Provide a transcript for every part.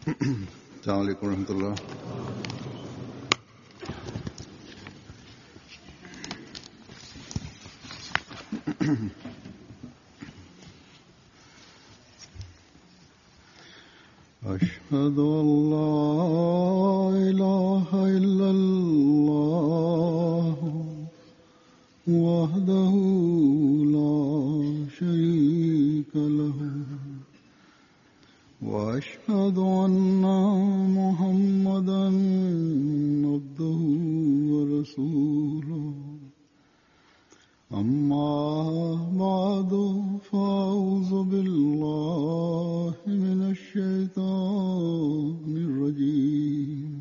السلام عليڪم ورحمة الله. أشهد أن لا إله إلا الله وحده لا شريك له وأشهد أن محمدا عبده ورسوله أما بعد فأعوذ بالله من الشيطان الرجيم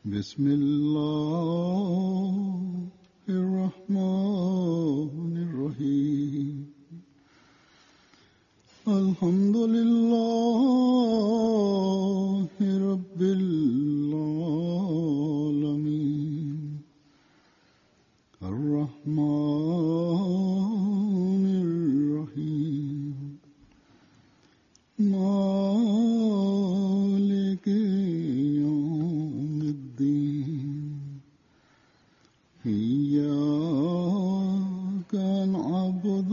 بسم الله الرحمن الرحيم الحمد لله رب العالمين الرحمن الرحيم مالك يوم الدين إياك نعبد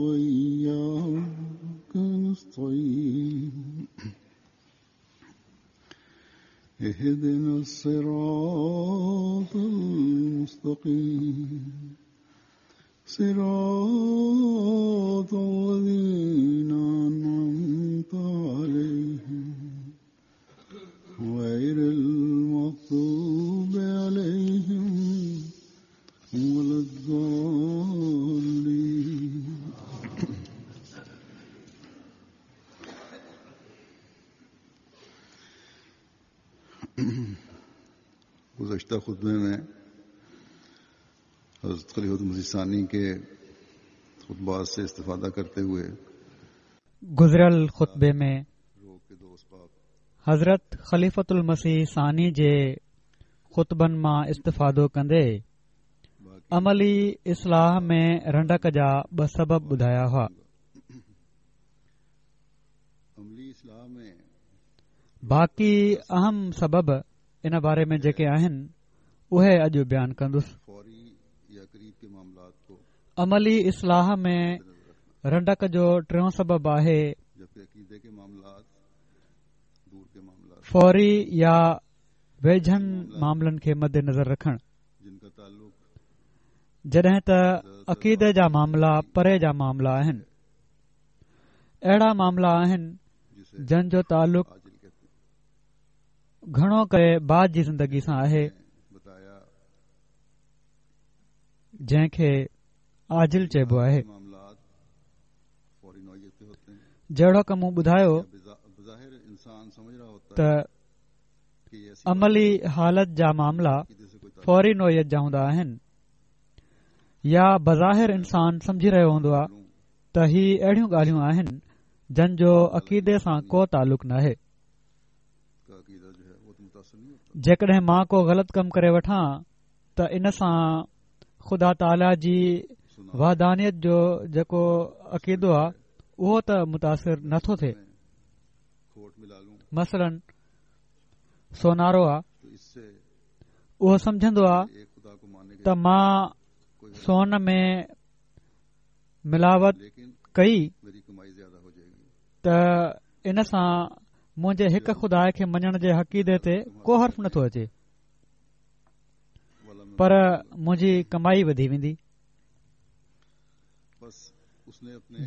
وإياك نستعين اهدنا الصراط المستقيم صراط الذين أنعمت عليهم غير المغضوب عليهم ولا الضالين. گزشتہ خطبے میں حضرت خلیفۃ المسیح ثانی کے خطبات سے استفادہ کرتے ہوئے گذريل خطبي ۾ حضرت خليفة المسيح ثاني جي خطبن مان استفادو ڪندي عملي اصلاح ۾ رنڊڪ جا ٻه سبب ٻڌايا هئا. باقي اهم سبب ان باري ۾ جيڪي آهن اهي اڄ بيان ڪندس. عملي اصلاح ۾ رنڊڪ جو ٽيون سبب آهي فوري يا ويجهن معاملن کي مد نظر رکڻ، جڏهن ته عقيدي جا معاملا پري جا معاملا آهن. اهڙا معاملا آهن جن جو تعلق گهڻو ڪري بعد جي زندگي سان آهي، جنهن کي عاجل چئبو آهي. جهڙوڪ مون ٻڌايو ته عملي حالت جا معاملا فوري نوعيت جا هوندا آهن يا بظاهر انسان سمجهي رهيو هوندو آهي ته هي اهڙيون ڳالهيون آهن جن جو عقيدي سان ڪو تعلق ناهي. جيڪڏهن مان ڪو غلط ڪم ڪري وٺان ته ان سان خدا تعاليٰ جي وحدانيت جو جيڪو عقيدو آهي اهو ته متاثر نٿو ٿئي. مثلاً سونارو آ اهو سمجهندو آ ته مان سون ۾ ملاوٽ ڪئي ته ان سان منهنجي هڪ خدا کي مڃڻ جي عقيدي تي ڪو حرف نٿو اچي، پر منهنجي ڪمائي وڌي ويندي.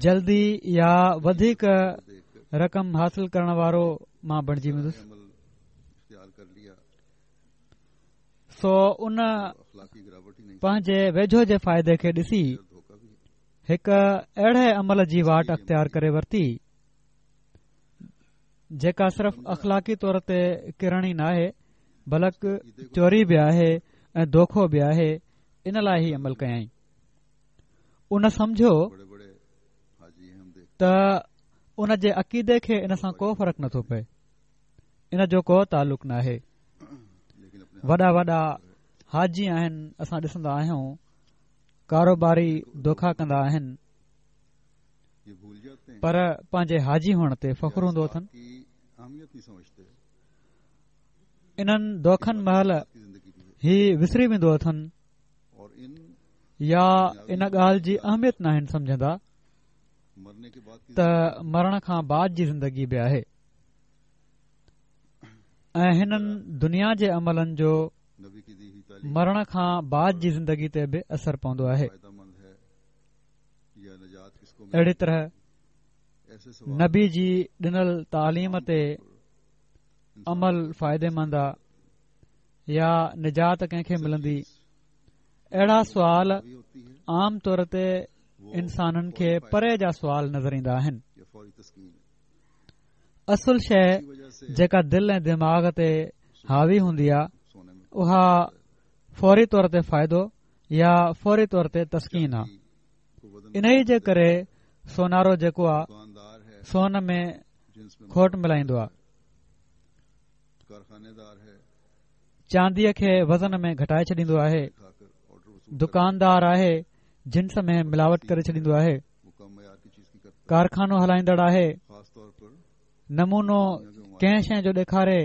جلدي يا وڌيڪ رقم حاصل ڪرڻ وارو مان بڻجي ويندس. سو ان پنهنجي ويجهو جي فائدي کي ڏسي هڪ اهڙي عمل جي واٽ اختيار ڪري ورتي جيڪا صرف اخلاقي طور تي ڪرڻ ئي ناهي بلڪ چوري به آهي ۽ دوکو به آهي. ان لاء هي عمل ڪيائين. ان سمجهيو ته ان جي عقيدي کي ان سان ڪو فرق نٿو پئي، ان جو ڪو تعلق ناهي. وڏا وڏا حاجي آهن، اسان ڏسندا آهيون ڪاروباري دوکا ڪندا آهن، پر پنهنجي حاجي هئڻ تي فخر هوندو اٿن. انهن دوکن مهل هي وسري ويندو اٿن يا ان ڳالهه جي اهميت ناهن سمجهندا ته مرڻ کان بعد جي زندگي به آهي ۽ هنن دنيا جي عملن جو مرڻ کان بعد جي زندگي تي به اثر پوندو آهي. اهڙي طرح نبي جي ڏنل تعليم تي عمل فائديمند آ يا نجات ڪنهن کي ملندي؟ اهڙا سوال عام طور تي انسانن کي پري جا سوال نظر ايندا آهن. اصل شيء جيڪا دل ۽ دماغ تي حاوي هوندي آ اها فوري طور تي فائدو يا فوري طور تي تسڪين آ. انهيء جي ڪري سونارو جيڪو آ سون ۾ کوٽ ملائيندو آ. چانديء کي وزن ۾ گهٽائي ڇڏيندو آهي. دڪاندار آهي جنس ۾ ملاوٽ ڪري ڇڏيندو آهي. ڪارخانو هلائيندڙ آهي نمونو ڪنهن شيء جو ڏيکاري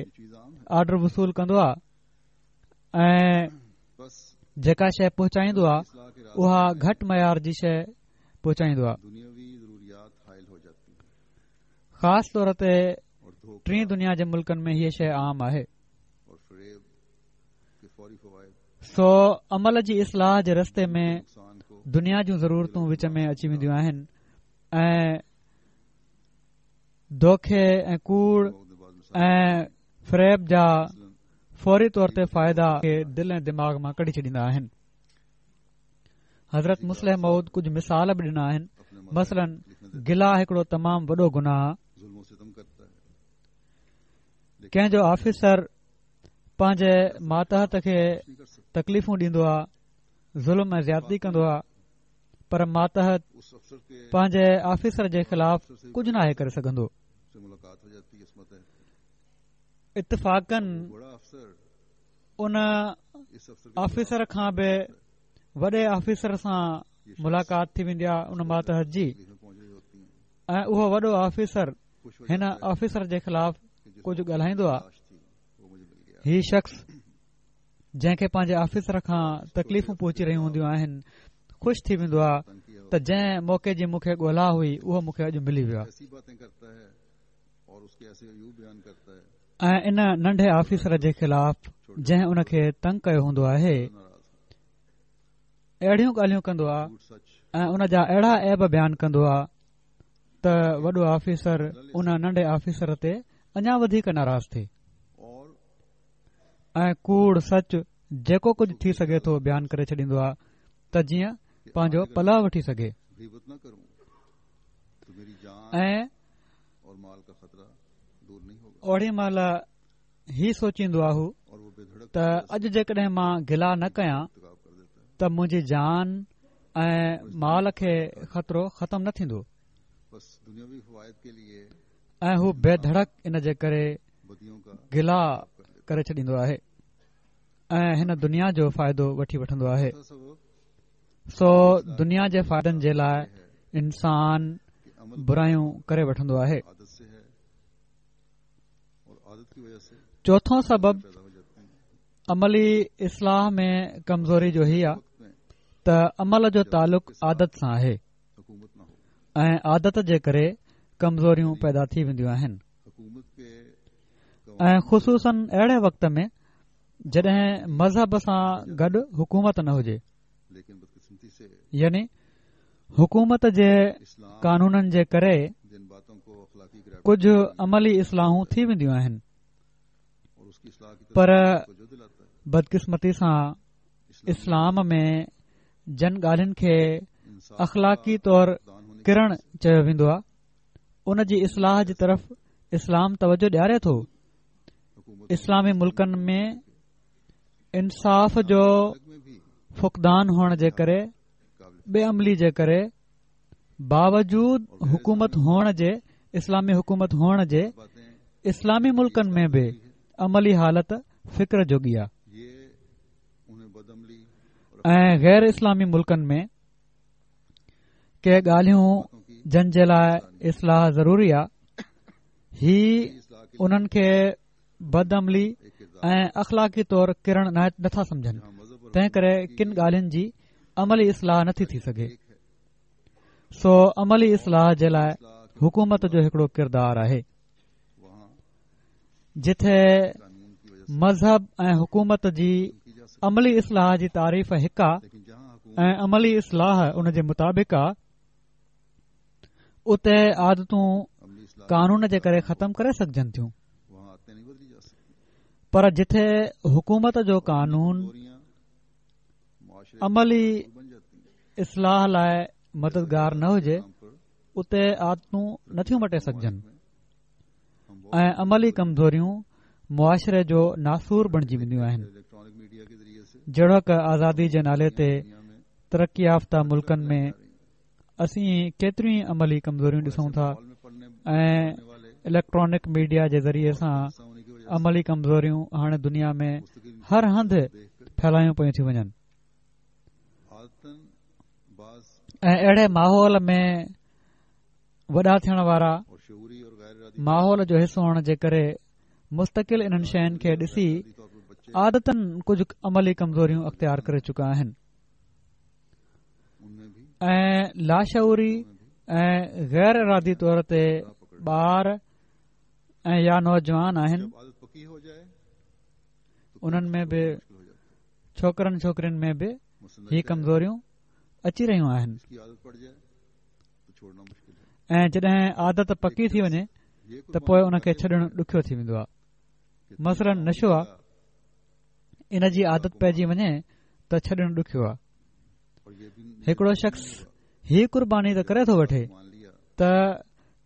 آرڊر وصول ڪندو آهي ۽ جيڪا شيء پهچائيندو آهي اها گهٽ معيار جي شيء پهچائيندو آهي خاص طور تي ٽين دنيا جي ملڪن ۾ هيء شيء عام آهي سو عمل جي اصلاح جي رستي ۾ دنيا جون ضرورتون وچ ۾ اچي وينديون آهن ۽ دوکي ۽ ڪوڙ ۽ فريب جا فوري طور تي فائدا کي دل ۽ دماغ مان ڪڍي ڇڏيندا آهن. حضرت مصلح موعود ڪجهه مثال به ڏنا آهن. مثلاً گلا هڪڙو تمام وڏو گناهه آهي. ڪنهن جو آفيسر پنهنجي ماتحت کي تڪليفون ڏيندو آ، ظلم ۽ زيادتي ڪندو آ، پر ماتحت پنهنجي آفيسر جي خلاف ڪجهه ناهي ڪري سگهندو. اتفاقاً ان آفيسر کان به وڏي آفيسر سان ملاقات ٿي ويندي آ ان ماتحت جي ۽ اهو وڏو آفيسر هن آفيسر جي خلاف ڪجهه ڳالهائيندو آ. هي شخص جنهن کي پنهنجي آفيسر کان تڪليفون پهچي رهيون هونديون آهن خوش ٿي ويندو آ ته جنهن موقعي جي مون کي ڳولا هئي اهو مون کي اڄ ملي ويو آ ۽ ان ننڍي آفيسر جي خلاف جنهن ان کي تنگ ڪيو هوندو آهي اهڙيون ڳالهيون ڪندو آ ۽ ان جا اهڙا عيب بيان ڪندو آ ته وڏو آفيسر ان ننڍي آفيسر تي اڃا وڌيڪ ناراض ٿئي ۽ ڪوڙ سچ جيڪو ڪجهه ٿي سگهي ٿو بيان ڪري ڇڏيندو آهي ته جيئن پنهنجو پلئه وٺي سگهي ۽ اوڏي مهل هي سوچيندو آ هو ته اڄ جيڪڏهن مان گلا نه ڪيان ته منهنجي جان ۽ مال کي خطرو ختم نه ٿيندو ۽ هو بي ڌڙڪ ان جي ڪري گلا ڪري ڇڏيندو آهي ۽ هن دنيا جو فائدو وٺي وٺندو آهي. سو دنيا جي فائدن جي لاء انسان برايون ڪري وٺندو آهي. چوٿون سبب عملي اصلاح ۾ ڪمزوري جو هي آ ته عمل جو تعلق عادت سان آهي ۽ عادت جي ڪري ڪمزوريون پيدا ٿي وينديون آهن ۽ خصوصاً اهڙي وقت ۾ جڏهن مذهب سان گڏ حڪومت نه هجي يعني حڪومت جي قانونن جي ڪري ڪجهه عملي اصلاحون ٿي وينديون آهن پر بدقسمتي سان اسلام ۾ جن ڳالهين کي اخلاقي طور ڪرڻ چيو ويندو آهي ان جي اصلاح جي طرف اسلام توجه ڏياري ٿو. اسلامي ملڪن ۾ انصاف جو فقدان هئڻ جي ڪري بي عملي جي ڪري باوجود حڪومت هئڻ جي اسلامي حڪومت هئڻ جي اسلامي ملڪن ۾ به عملي حالت فڪر جوڳي آهي ۽ غير اسلامي ملڪن ۾ ڪي ڳالهيون جن جي لاء اصلاح ضروري آ هي انهن کي بدعملي ۽ اخلاقي طور ڪرڻ نٿا سمجهن، تنهن ڪري ڪن ڳالهين جي عملي اصلاح نٿي ٿي سگهي. سو عملي اصلاح جي لاء حڪومت جو هڪڙو ڪردار آهي. جتي مذهب ۽ حڪومت جي عملي اصلاح جي تعريف هڪ آ ۽ عملي اصلاح ان جي مطابق آ، اتي عادتون قانون جي ڪري ختم ڪري سگهجن ٿيون، پر جتي حڪومت جو قانون عملي اصلاح لاء مددگار نه هجي، اتي عادتون نٿيون مٽي سگهجن ۽ عملي ڪمزوريون معاشري جو ناسور بڻجي وينديون آهن. جهڙوڪ آزادي جي نالي تي ترقي يافته ملڪن ۾ اسين ڪيتريون ئي عملي ڪمزوريون ڏسون ٿا ۽ اليڪٽرانڪ ميڊيا جي ذريعي سان عملي ڪمزوريون هاڻي دنيا ۾ هر هنڌ ڦهلايون پيون ٿيون وڃن ۽ اهڙي ماحول ۾ وڏا ٿيڻ وارا ماحول جو حصو هئڻ جي ڪري مستقل انهن شين کي ڏسي عادتاً ڪجهه عملي ڪمزوريون اختيار ڪري چڪا آهن ۽ لاشعوري ۽ غير ارادي طور تي ٻار ۽ يا نوجوان آهن، انهن ۾ به، ڇوڪرن ڇوڪرين ۾ به هي ڪمزوريون اچي رهيون آهن ۽ جڏهن عادت پڪي ٿي وڃي ته پوء ان کي ڇڏڻ ڏکيو ٿي ويندو آهي. مثلاً نشو آهي، ان جي عادت پئجي وڃي ته ڇڏڻ ڏکيو آهي. هڪڙو شخص هي قرباني ته ڪري ٿو وٺي ته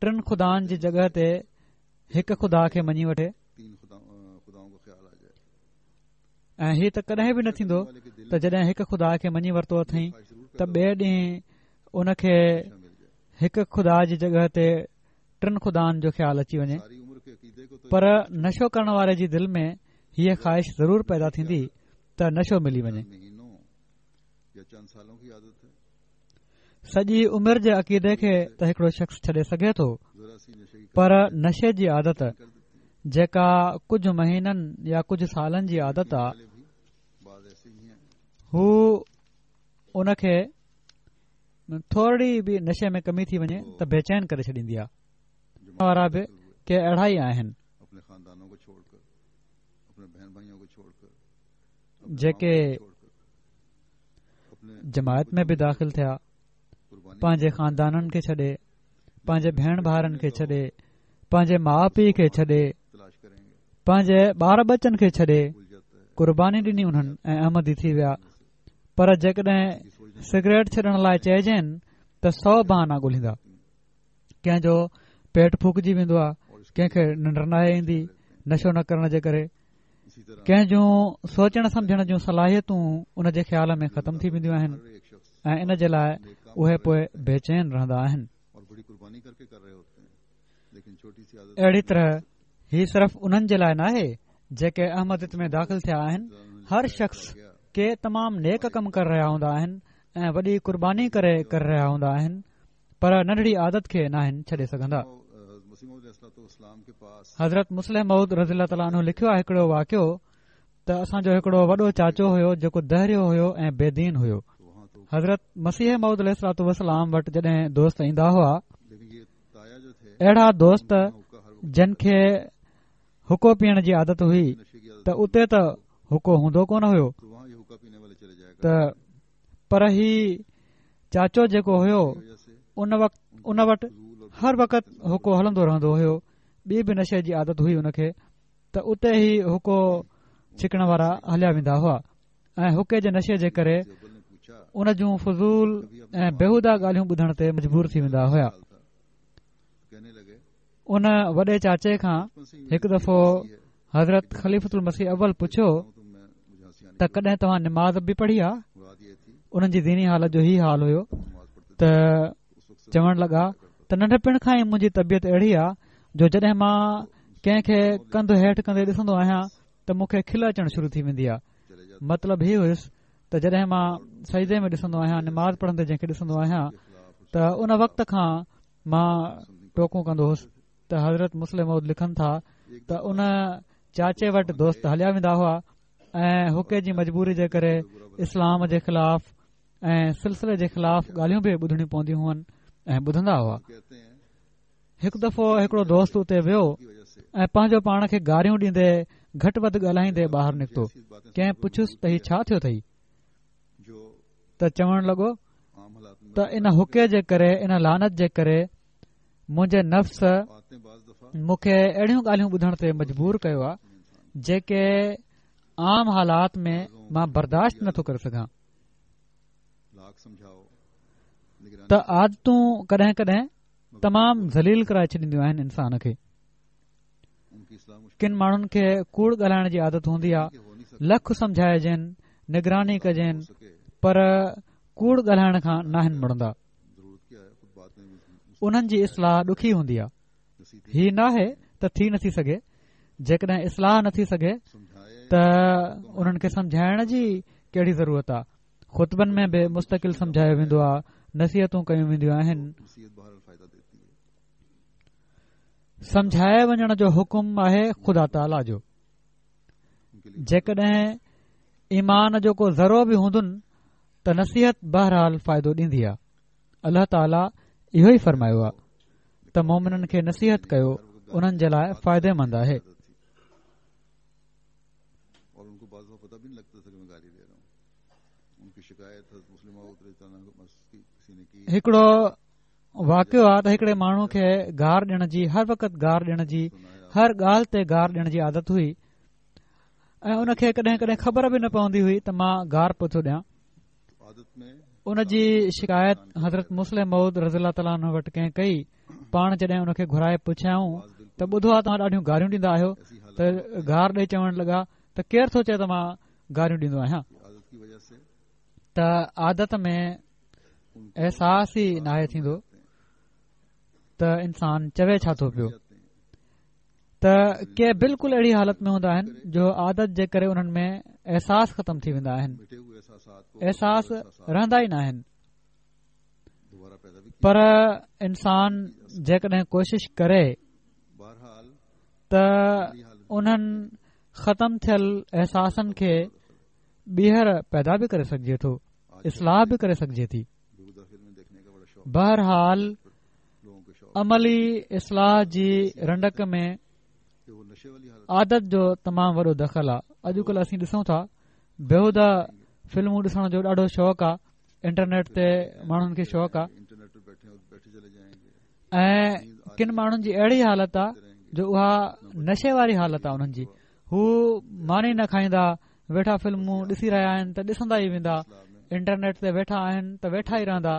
ٽن خدائن جي جڳهه تي هڪ خدا کي مڃي وٺي، ۽ هي ته ڪڏهن به نه ٿيندو ته جڏهن هڪ خدا کي مڃي ورتو اٿئي ته ٻئي ڏينهن ان کي هڪ خدا جي جڳهه تي ٽن خدائن جو خيال اچي وڃي. پر نشو ڪرڻ واري جي دل ۾ هيء خواهش ضرور پيدا ٿيندي ته نشو ملي وڃي. سڄي عمر جي عقيدي کي ته هڪڙو شخص ڇڏي سگهي ٿو، پر نشي جي عادت جيڪا ڪجهه مهينن يا ڪجهه سالن جي عادت آ، هو ان کي ٿورڙي به نشي ۾ ڪمي ٿي وڃي ته بيچين ڪري ڇڏيندي آ. وارا به ڪي اهڙا ئي آهن. جيڪي جماعت ۾ به داخل ٿيا، پنهنجي خاندانن کي ڇڏي، پنهنجي ڀيڻ ڀائرن کي ڇڏي، پنهنجي ماء پيء کي ڇڏي، پنهنجي ٻار ٻچن کي ڇڏي قرباني ڏني انهن ۽ احمدي ٿي ويا، پر جيڪڏهن سگريٽ ڇڏڻ لاء چئجين ته سو بهانا ڳولهيندا. ڪنهن جو پيٽ ڦوڪجي ويندو آهي، ڪنهن کي ننڊ ناهي ايندي نشو نه ڪرڻ جي ڪري، ڪنهن جون سوچڻ سمجهڻ جون صلاحيتون ان جي خيال ۾ ختم ٿي وينديون آهن ۽ ان جي لاء اهي پوء بيچين رهندا آهن. اهڙي طرح هي صرف انهن جي لاء ناهي جيڪي احمديت ۾ داخل ٿيا آهن، هر شخص ڪي تمام نيڪ ڪم ڪري رهيا هوندا آهن ۽ وڏي قرباني ڪري ڪري رهيا هوندا آهن، پر ننڍڙي عادت کي ناهن ڇڏي سگهندا. حضرت مصلح موعود رضي الله تعالٰي عنه لکيو آهي هڪڙو واقعو ته اسان جو هڪڙو وڏو چاچو هيو جيڪو دهريو هيو ۽ بي دين هيو. حضرت مسيح موعود عليه الصلوٰة والسلام وٽ جڏهن دوست ايندا هئا، اهڙا دوست جن کي حقو پيئڻ جي عادت هئي ته اتي ته حقو هوندو ڪونه هيو ته پر هي چاچو جيڪو هيو ان وقت ان وٽ هر وقت حقو هلندو رهندو هيو. ٻي به نشي جي عادت هئي ان کي ته اتي هي حقو ڇڪڻ وارا هليا ويندا هئا ۽ حقي جي نشي جي ڪري ان جون فضول ۽ بيهوده ڳالهيون ٻڌڻ تي مجبور ٿي ويندا هيا. ان وڏي چاچي کان هڪ دفعو حضرت خليفة المسيح اول پڇيو ته ڪڏهن توهان نماز به پڙهي آ؟ انهن جي ديني حالت جو هي حال هيو ته چوڻ لڳا ته ننڍپڻ کان ئي منهنجي طبيعت اهڙي آ جو جڏهن مان ڪنهن کي ڪنڌ هيٺ ڪندي ڏسندو آهيان ته مون کي کل اچڻ شروع ٿي ويندي آ. مطلب هي هيس ته جڏهن مان سجدي ۾ ڏسندو آهيان، نماز پڙهندي جنهن کي ڏسندو آهيان ته ان وقت کان مان ٽوڪون ڪندو هوس ته حضرت مصلح موعود لکن ٿا. ته ان چاچي وٽ دوست هليا ويندا هئا ۽ حقي جي مجبوري جي ڪري اسلام جي خلاف ۽ سلسلي جي خلاف ڳالهيون به ٻڌڻيون پونديون هئن ۽ ٻڌندا هئا. هڪ دفعو هڪڙو دوست اتي ويو ۽ پنهنجو پاڻ کي گاريون ڏيندي گهٽ وڌ ڳالهائيندي ٻاهر نڪتو. ڪنهن پڇيس ته هي ڇا ٿيو اٿئي؟ ته چوڻ لڳو ته ان حقي جي ڪري ان لعنت جي ڪري منهنجي نفس مون کي اهڙيون ڳالهيون ٻڌڻ تي مجبور ڪيو آهي جيڪي عام حالات ۾ مان برداشت نٿو ڪري سگهان. ته عادتون ڪڏهن ڪڏهن تمام ذليل ڪرائي ڇڏينديون آهن انسان کي. ڪن ماڻهن کي ڪوڙ ڳالهائڻ جي عادت هوندي آهي لک سمجهائجين نگراني ڪجين پر ڪوڙ ڳالهائڻ کان ناهن مڙندا. انهن جي اصلاح ڏکي هوندي آهي. هي ناهي ته ٿي نٿي سگهي، جيڪڏهن اصلاح نه ٿي سگهي ته انهن کي سمجهائڻ جي ڪهڙي ضرورت آهي. خطبن ۾ به مستقل سمجهايو ويندو آهي، نصيحتون ڪيون وينديون آهن. سمجهائي وڃڻ جو حڪم آهي خدا تعاليٰ جو. جيڪڏهن ايمان جو ڪو ذرو به هوندن ته نصيحت بهرحال فائدو ڏيندي آهي. الله تعاليٰ اهو ئي فرمايو آهي ته مومنن کي نصيحت ڪيو انهن جي لاء فائديمند آهي. هڪڙو واقعو آهي ته هڪڙي ماڻهو کي گار ڏيڻ جي هر وقت گار ڏيڻ جي هر ڳالهه تي گار ڏيڻ جي عادت هئي ۽ ان کي ڪڏهن ڪڏهن خبر به نه پوندي هئي ته مان گار پيو ٿو ڏيان. ان جي شڪايت حضرت مصلح موعود رضي الله تعاليٰ عنه وٽ ڪنهن ڪئي. پاڻ جڏهن ان کي گهرائي پڇيائون ته ٻڌو آ توهان ڏاڍيون گاريون ڏيندا آهيو ته گار ڏئي چوڻ لڳا ته ڪير ٿو چئي ته مان گاريون ڏيندو آهيان ته عادت ۾ احساس ئي ناهي ٿيندو ته انسان چوي ڇا ٿو پيو. ته ڪي بلڪل اهڙي حالت ۾ هوندا آهن جو عادت جي ڪري انهن ۾ احساس ختم ٿي ويندا آهن احساس رهندا ئي نه آهن پر انسان جيڪڏهن ڪوشش ڪري ته انهن ختم ٿيل احساسن کي ٻيهر پيدا به ڪري سگهجي ٿو اصلاح به ڪري سگهجي ٿي بهرحال عملي اصلاح جي رنڊڪ ۾ عادت جو تمام وڏو دخل آ اڄڪلهه اسين ڏسون ٿا بيهوده فلمون ڏسڻ جو ڏاڍو شوق آ انٽرنيٽ تي ماڻهن کي شوق آ ۽ ڪن ماڻهن جي اهڙي حالت آ جو اها نشي واري حالت آ انهن جي هو ماني نه کائيندا ويٺا فلمون ڏسي رهيا آهن ته ڏسندا ئي ويندا انٽرنيٽ تي ويٺا آهن ته ويٺا ئي رهندا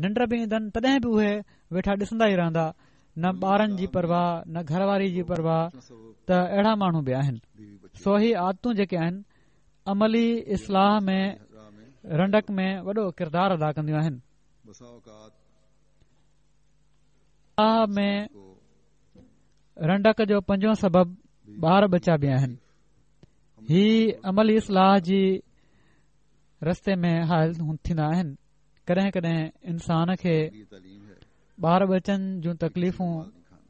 ننڊ به ايندن تڏهن به اهي ويٺا ڏسندا ئي رهندا نه ٻارن جي پرواهه نه گهر واري جي پرواهه ته اهڙا ماڻهو به آهن سو هي عادتون جيڪي آهن عملي اصلاح ۾ رنڊڪ ۾ وڏو ڪردار ادا ڪنديون آهن ۾ رنڊڪ جو پنجون سبب ٻار ٻچا به آهن هي عملي اصلاح جي رستي ۾ حائل ٿيندا آهن ڪڏهن ڪڏهن انسان کي ٻار ٻچن جون تڪليفون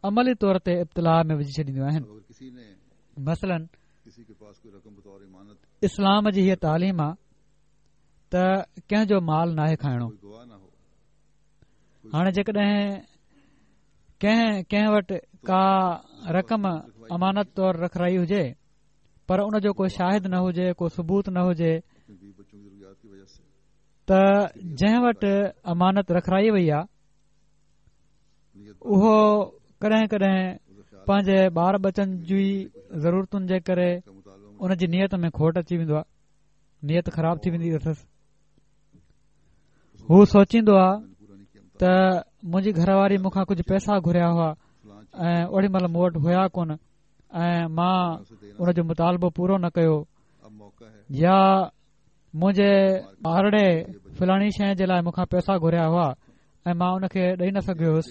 عملي طور تي ابتلاء ۾ وجهي ڇڏينديون آهن مثلاً اسلام جي هيء تعليم آ ته ڪنهن جو مال ناهي کائڻو هاڻي جيڪڏهن ڪنهن ڪنهن وٽ ڪا رقم امانت طور رکرائي هجي پر ان جو ڪو شاهد نه هجي ڪو ثبوت نه هجي ته جنهن وٽ امانت رکرائي وئي آ اهو ڪڏهن ڪڏهن پنهنجي ٻار ٻچن جي ضرورتن جي ڪري ان جي نيت ۾ کوٽ اچي ويندو آ نيت خراب ٿي ويندي اٿس هو سوچيندو آ ته منهنجي گهر واري مون کان ڪجهه پئسا گهريا هئا ۽ اوڏي مهل مون وٽ هيا ڪونه ۽ مان ان جو مطالبو پورو نه ڪيو يا منهنجي ٻارڙي فلاڻي شيء جي لاء مون کان پئسا گهريا هئا ۽ مان ان کي ڏئي نه سگهيو هيس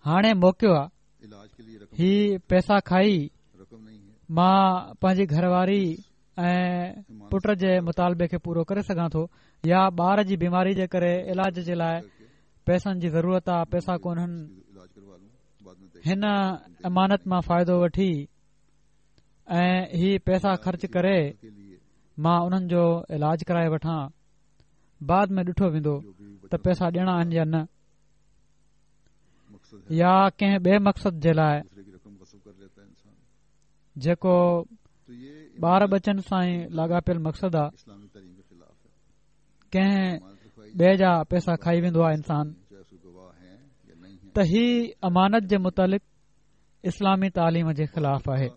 هاڻي موقعو آ هي پئسا کائي مان پنهنجي گهر واري ۽ پٽ جي مطالبي کي پورو ڪري سگهان ٿو يا ٻار جي بيماري جي ڪري علاج جي لاء پئسن جي ضرورت آ پئسا ڪونهن. هن امانت مان فائدو وٺي ۽ هي پئسا خرچ ڪري مان انهن جو علاج ڪرائي وٺان، بعد ۾ ڏٺو ويندو ته پئسا ڏيڻا آهن يا نه، يا ڪنهن ٻئي مقصد جي لاء جيڪو ٻار ٻچن سان ئي لاڳاپيل مقصد آ، ڪنهن ٻئي جا پئسا کائي ويندو آ انسان، ته هي امانت جي متعلق اسلامي تعليم جي خلاف آهي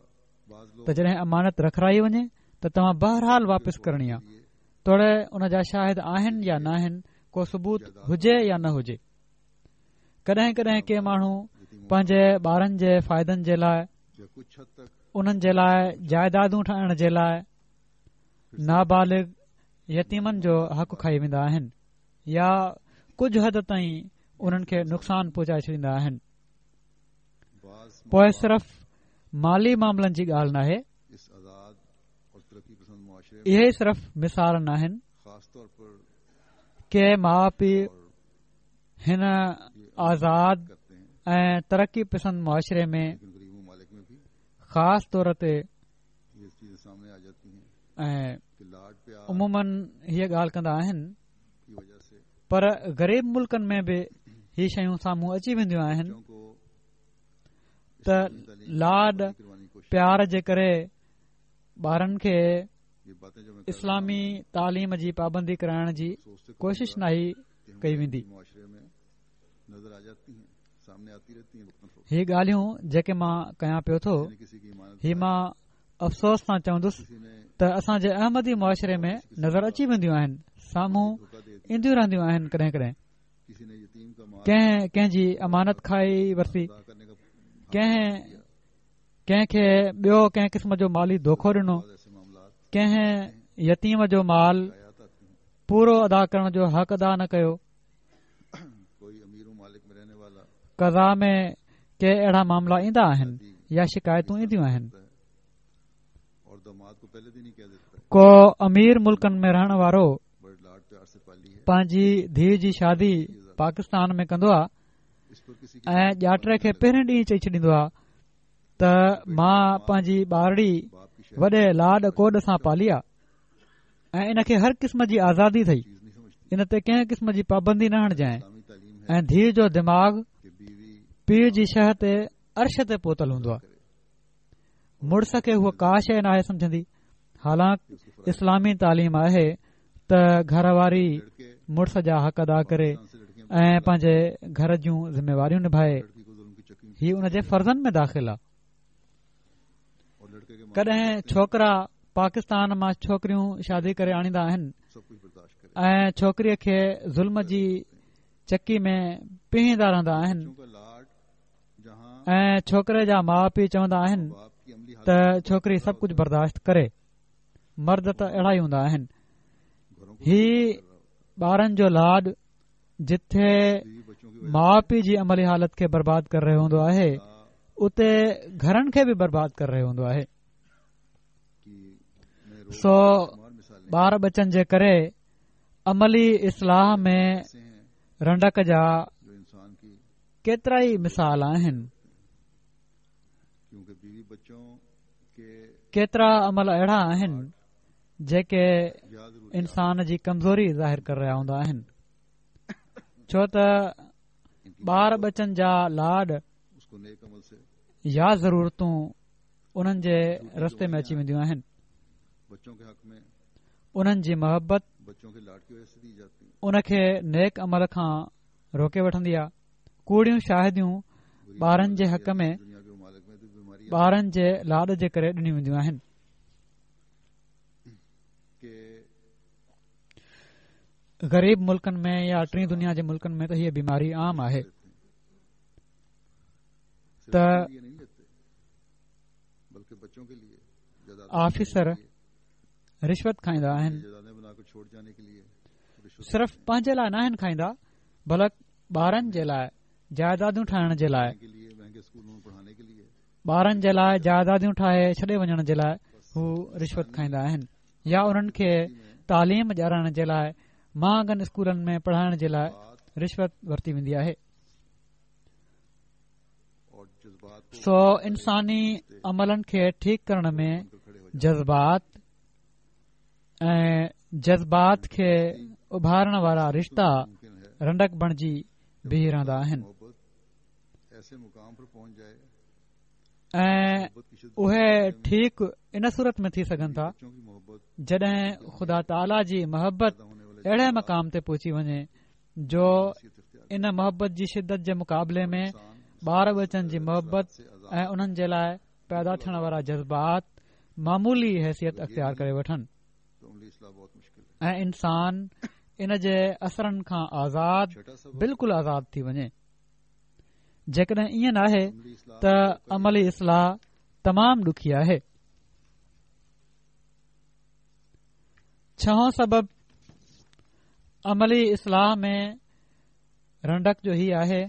ته جڏهن امانت رکرائي وڃي ته توهان بهرحال واپس ڪرڻي آ، توڙي ان جا شاهد آهن يا ناهن، ڪو ثبوت هجي يا نه هجي. ڪڏهن ڪڏهن ڪي ماڻهو پنهنجي ٻارن جي فائدن جي لاء، انهن جي لاء جائدادون ٺاهڻ جي لاء نابالغ يتيمن جو حق کائي ويندا آهن يا ڪجهه حد تائين انهن کي نقصان پهچائي ڇڏيندا آهن. پوء صرف مالي معاملن جي ڳالهه ناهي، اهي صرف مثال ناهن. ڪي ماء پيء هن آزاد ۽ ترقي پسند معاشري ۾ خاص طور تي ۽ عموماً هيء ڳالهه ڪندا آهن، پر غريب ملڪن ۾ به هي شيون سامهون اچي وينديون آهن ته لاڏ پيار جي ڪري ٻارن کي اسلامي تعليم جي پابندي ڪرائڻ جي ڪوشش ناهي ڪئي ويندي. هي ڳالهيون جيڪي مان ڪيان پيو ٿو، هي مان افسوس سان چوندس ته اسان جي احمدي معاشري ۾ نظر اچي وينديون آهن، سامهون اينديون رهنديون آهن. ڪڏهن ڪڏهن ڪنهن ڪنهن جي امانت کائي ورتي، ڪنهن ڪنهن کي ٻيو ڪنهن قسم جو مالي دوکو ڏنو، ڪنهن يتيم جو مال پورو ادا ڪرڻ جو حق ادا نه ڪيو. قضا ۾ ڪي اهڙا معاملا ايندا آهن يا شڪايتون اينديون آهن. ڪو امير ملڪن ۾ رهڻ وارو پنهنجي ڌيء جي شادي پاڪستان ۾ ڪندو آهي ۽ ڄاٽي کي پهرين ڏينهن چئي ڇڏيندو آهي ته مان پنهنجي ٻارڙي وڏي لاڏ ڪوڏ سان پالي آ ۽ ان کي هر قسم جي آزادي اٿئي، ان تي ڪنهن قسم جي پابندي نه هڻجانء. ۽ ڌيء جو دماغ پيء جي شهه تي عرش تي پهتل هوندو آ، مڙس کي هوء ڪا شيء ناهي سمجهندي، حالانڪ اسلامي تعليم آهي ته گهر واري مڙس جا حق ادا ڪري ۽ پنهنجي گهر جون ذميواريون نڀائي، هي ان جي فرضن ۾ داخل آ. ڪڏهن ڇوڪرا پاڪستان مان ڇوڪريون شادي ڪري آڻيندا آهن ۽ ڇوڪريء کي ظلم جي چڪي ۾ پيهيندا رهندا آهن ۽ ڇوڪري جا ماء پيء چوندا آهن ته ڇوڪري سڀ ڪجهه برداشت ڪري. مرد ته اهڙا ئي هوندا آهن. هي ٻارن جو لاڏ جتي ماء پيء جي عملي حالت کي برباد ڪري رهيو هوندو آهي، اتي گهرن کي به برباد ڪري رهيو هوندو آهي. سو ٻار ٻچن جي ڪري عملي اصلاح ۾ رنڊڪ جا ڪيترائي مثال آهن. ڪيترا عمل اهڙا آهن جيڪي انسان جي ڪمزوري ظاهر ڪري رهيا هوندا آهن، ڇو ته ٻار ٻچن جا لاڏ يا ضرورتون انهن جي رستي ۾ اچي وينديون آهن. انهن جي محبت ان کي نيڪ عمل کان روڪي وٺندي آهي. ڪوڙيون شاهديون ٻارن جي حق ۾ ٻارن جي لاڏ جي ڪري ڏنيون وينديون آهن. غريب ملڪن ۾ يا ٽين دنيا جي ملڪن ۾ ته هيء بيماري عام آهي ته آفيسر رشوت کائيندا آهن، صرف پنهنجي لاء ناهن کائيندا بلڪ ٻارن جي لاء جائدادون ٺاهڻ جي لاء، ٻارن جي لاء جائداديون ٺاهي ڇڏي وڃڻ جي لاء هو رشوت کائيندا آهن يا انهن کي تعليم ڏيارڻ جي لاء مهانگن اسڪولن ۾ پڙهائڻ جي لاء رشوت ورتي ويندي آهي. سو انساني عملن کي ٺيڪ ڪرڻ ۾ جذبات ۽ جذبات کي اڀارڻ وارا رشتا رنڊڪ بڻجي بيهي رهندا آهن ۽ اهي ٺيڪ ان صورت ۾ ٿي سگهن ٿا جڏهن خدا تعاليٰ جي محبت اهڙي مقام تي پهچي وڃي جو ان محبت جي شدت جي مقابلي ۾ ٻار ٻچن جي محبت ۽ انهن جي لاء پيدا ٿيڻ وارا جذبات معمولي حيثيت اختيار ڪري وٺن ۽ انسان ان جي اثرن کان آزاد بلڪل آزاد ٿي وڃي. جيڪڏهن ائين ناهي ته عملي اصلاح تمام ڏکي آهي. ڇهون سبب عملي اصلاح ۾ رنڊڪ جو هي آهي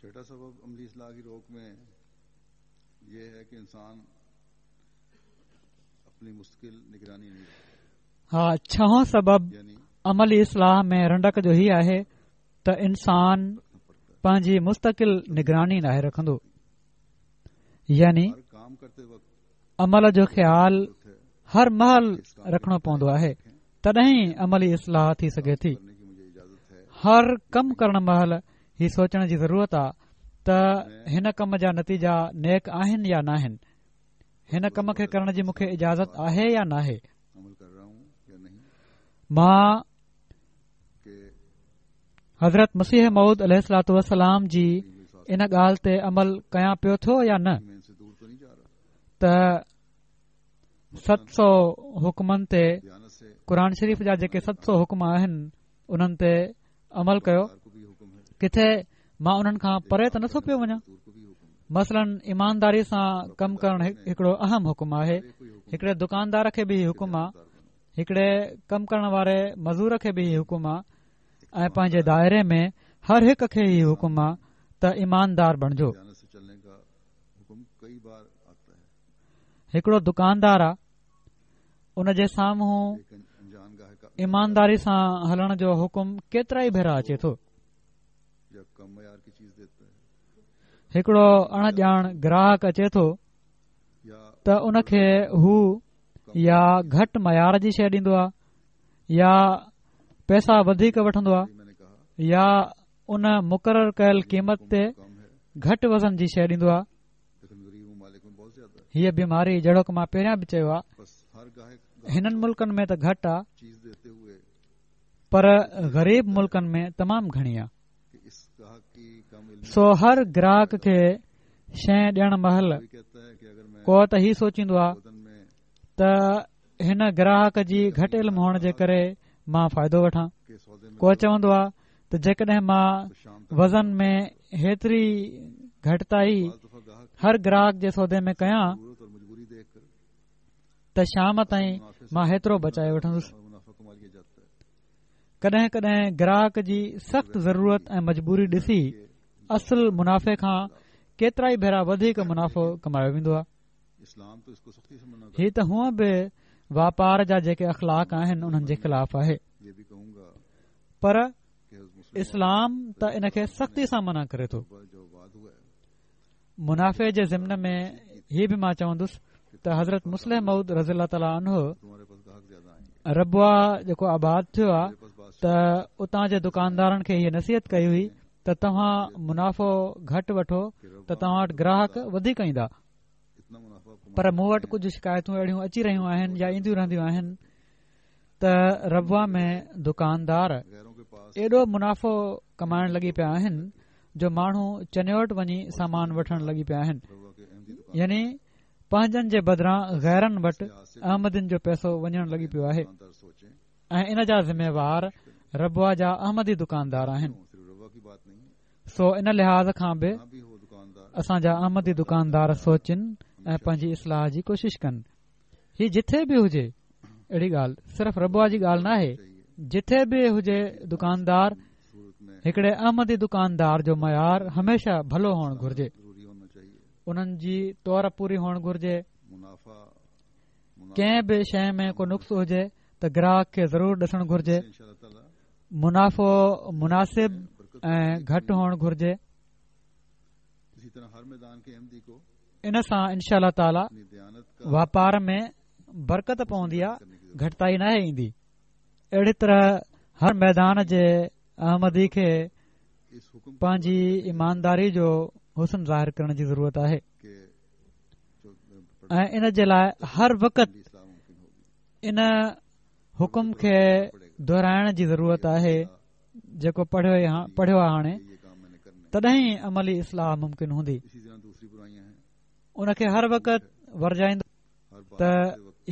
چھٹا سبب عملی اصلاح کی روک میں یہ ہے کہ انسان اپني مستقل نگراني نہیں ها ڇهون سبب عملي اصلاح ۾ رنڊڪ جو هي آهي ته انسان پنهنجي مستقل نگراني ناهي رکندو يعني عمل جو خيال هر مهل رکڻو پوندو آهي تڏهن ئي عملي اصلاح ٿي سگهي ٿي هر ڪم ڪرڻ مهل هي سوچڻ جي ضرورت آ ته هن ڪم جا نتيجا نيڪ آهن يا ناهن هن ڪم کي ڪرڻ جي مون کي اجازت آهي يا ناهي مان حضرت مسيح موعود عليه الصلوٰة والسلام جي ان ڳالهه تي عمل ڪيان پيو ٿو يا نه ته ست سو حڪمن تي قرآن شريف جا جيڪي ست سو حڪم آهن انهن تي عمل ڪيو ڪٿي مان انهن کان پري ته نٿو پيو وڃان مثلاً ايمانداري سان ڪم ڪرڻ هڪڙو اهم حڪم آهي هڪڙي دڪاندار کي به حڪم آهي هڪڙي ڪم ڪرڻ واري مزور کي به هي حڪم آ ۽ پنهنجي دائري ۾ هر هڪ کي هي حڪم آ ته ايماندار بڻجو. هڪڙو دڪاندار آ ان جي سامهون ايمانداري سان هلڻ جو حڪم ڪيترا ئي ڀيرا اچي ٿو. هڪڙو اڻ ڄاڻ گراهڪ اچي ٿو ته ان کي هو يا گهٽ معيار جي شيء ڏيندو آهي يا پئسا وڌيڪ وٺندو آهي يا ان مقرر ڪيل قيمت تي گهٽ وزن جي شيء ڏيندو آهي هيء بيماري جهڙوڪ مان پهريان به چيو آهي هنن ملڪن ۾ ته گهٽ آهي پر غريب ملڪن ۾ تمام گهڻي آهي سو هر گراهڪ کي شيء ڏيڻ مهل ڪو ته هي سوچيندو آهي ته هن گراهڪ جي گهٽ علم هئڻ جي ڪري مان فائدو وٺان ڪو چوندو آهي ته جيڪڏهن مان وزن ۾ هيتري گهٽتائي هر گراهڪ جي سودي ۾ ڪيان ته شام تائين مان هيترو بچائي وٺندس ڪڏهن ڪڏهن گراهڪ جي سخت ضرورت ۽ مجبوري ڏسي اصل منافعي کان ڪيترائي ڀيرا وڌيڪ منافعو ڪمايو ويندو آهي. هي ته هونء به واپار جا جيڪي اخلاق آهن انهن جي خلاف آهي پر اسلام ته ان کي سختي سان منع ڪري ٿو. منافعي جي ضمن ۾ هي به مان چوندس ته حضرت مصلح موعود رضي الله تعالٰي عنه ربوه جيڪو آباد ٿيو آ ته اتان جي دڪاندارن کي هيء نصيحت ڪئي هئي ته توهان منافعو گهٽ وٺو ته توهان وٽ گراهڪ وڌيڪ ايندا. پر مون وٽ ڪجهه شڪايتون اهڙيون اچي رهيون آهن يا اينديون رهنديون آهن ته ربوه ۾ دڪاندار ايڏو منافعو ڪمائڻ لڳي پيا آهن جو ماڻهو چنيوٽ وڃي سامان وٺڻ لڳي پيا آهن، يعني پنهنجن جي بدران غيرن وٽ احمدين جو پئسو وڃڻ لڳي پيو آهي ۽ ان جا ذميوار ربوه جا احمدي دڪاندار آهن. سو ان لحاظ کان به اسان جا احمدي دڪاندار سوچن ۽ پنهنجي اصلاح جي ڪوشش ڪن. هي جٿي به هجي اهڙي ڳالهه صرف ربوه جي ڳالهه ناهي، جٿي به هجي دڪاندار هڪڙي احمدي دڪاندار جو معيار هميشه ڀلو هئڻ گهرجي، انهن جي تور پوري هئڻ گهرجي، ڪنهن به شيء ۾ ڪو نقص هجي ته گراهڪ کي ضرور ڏسڻ گهرجي، منافعو مناسب ۽ گهٽ هئڻ گهرجي. ان سان انشاء الله تعاليٰ واپار ۾ برڪت پوندي آ، گهٽتائي ناهي ايندي. اهڙي طرح هر ميدان جي احمدي کي پنهنجي ايمانداري جو حسن ظاهر ڪرڻ جي ضرورت آهي ۽ ان جي لاء هر وقت ان حڪم کي دهرائڻ جي ضرورت آهي جيڪو پڙهيو آهي هاڻي تڏهن ئي عملي اصلاح ممڪن هوندي. ان کي هر وقت ورجائيندو ته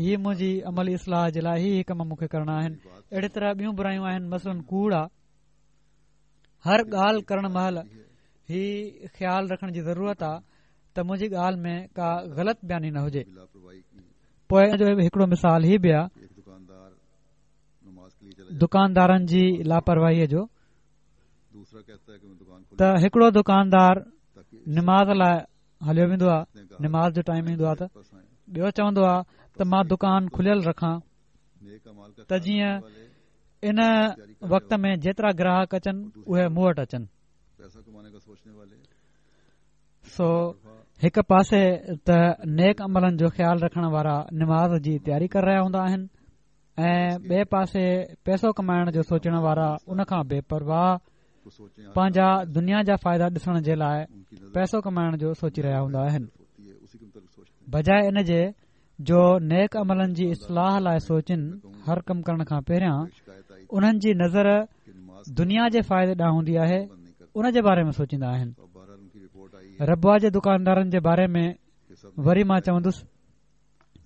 هي منهنجي عملي اصلاح جي لاء هي هي ڪم مون کي ڪرڻا آهن. اهڙي طرح ٻيون برايون آهن مثلاً ڪوڙ آ. هر ڳالهه ڪرڻ مهل هي خيال رکڻ جي ضرورت آ ته منهنجي ڳالهه ۾ ڪا غلط بياني نه هجي. پوء ان جو هڪڙو مثال هي به آ دڪاندارن جي لاپرواهيء جو ته هڪڙو دڪاندار نماز لاء هليو ويندو آ نماز جو ٽائيم ايندو آ ته ٻيو چوندو آ ته مان دڪان کليل رکان ته جيئن ان وقت ۾ جيترا گراهڪ اچن اهي مون وٽ اچن. سو هڪ پاسي ته نيڪ عملن جو خيال رکڻ وارا نماز جي تياري ڪري رهيا هوندا آهن ۽ ٻئي پاسي پئسو ڪمائڻ جو سوچڻ وارا ان کان بي پرواهه پنهنجا دنيا جا فائدا ڏسڻ جي لاء پئسو ڪمائڻ جو سوچي رهيا هوندا آهن، بجاء ان جي جو نيڪ عملن جي اصلاح لاء سوچين. هر ڪم ڪرڻ کان پهريان انهن جي نظر دنيا جي فائدي ڏانهن هوندي آهي، ان جي باري ۾ سوچيندا آهن. ربوه جي دڪاندارن جي باري ۾ وري مان چوندس